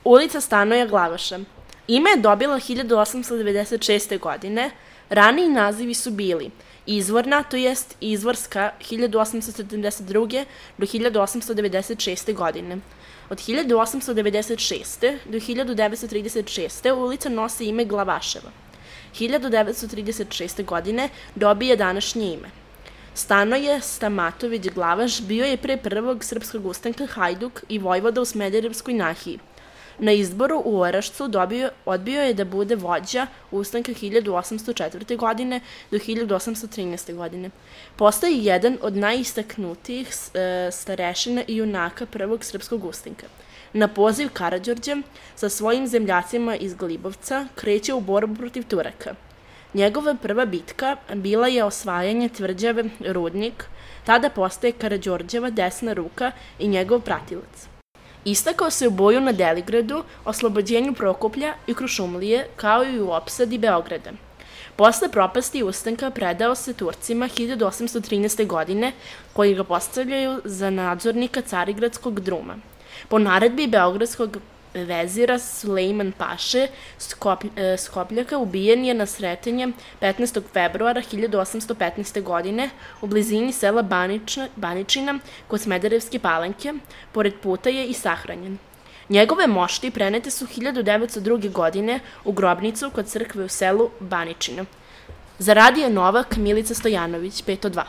Ulica Stanoja Glavaša. Ime je dobila 1896. godine. Raniji nazivi su bili Izvorna, to jest Izvorska 1872. do 1896. godine. Od 1896. do 1936. ulica nosi ime Glavaševa. 1936. godine dobije današnje ime. Stanoje Stamatović Glavaš bio je pre prvog srpskog ustanka Hajduk i vojvoda u Smederevskoj nahiji. Na izboru u Orašcu odbio je da bude vođa ustanka 1804. godine do 1813. godine. Postao je jedan od najistaknutijih starešina i junaka prvog srpskog ustanka. Na poziv Karađorđa sa svojim zemljacima iz Glibovca kreće u borbu protiv Turaka. Njegova prva bitka bila je osvajanje tvrđave Rudnik, tada postaje Karađorđeva desna ruka i njegov pratilac. Istakao se u boju na Deligradu, oslobođenju Prokuplja i Krušumlije, kao i u opsadi Beograda. Posle propasti ustanka predao se Turcima 1813. godine, koji ga postavljaju za nadzornika Carigradskog druma. Po naredbi beogradskog vezira Sulejman Paše Skopljaka ubijen je na Sretenje 15. februara 1815. godine u blizini sela Baničina kod Smederevske Palanke, pored puta je i sahranjen. Njegove mošti prenete su 1902. godine u grobnicu kod crkve u selu Baničina. Za Radio Novak Milica Stojanović, 502.